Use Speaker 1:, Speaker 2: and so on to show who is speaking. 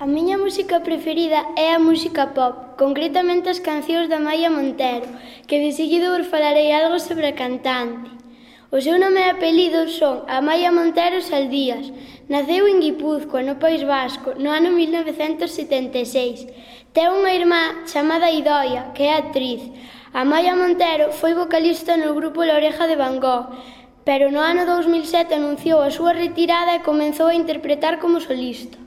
Speaker 1: A miña música preferida é a música pop, concretamente as cancións da Amaia Montero, que de seguido vos falarei algo sobre a cantante. O seu nome e apelido son Amaia Montero Saldías. Naceu en Guipúzcoa, no País Vasco, no ano 1976. Ten unha irmá chamada Idoia, que é actriz. Amaia Montero foi vocalista no grupo La Oreja de Van Gogh, pero no ano 2007 anunciou a súa retirada e comezou a interpretar como solista.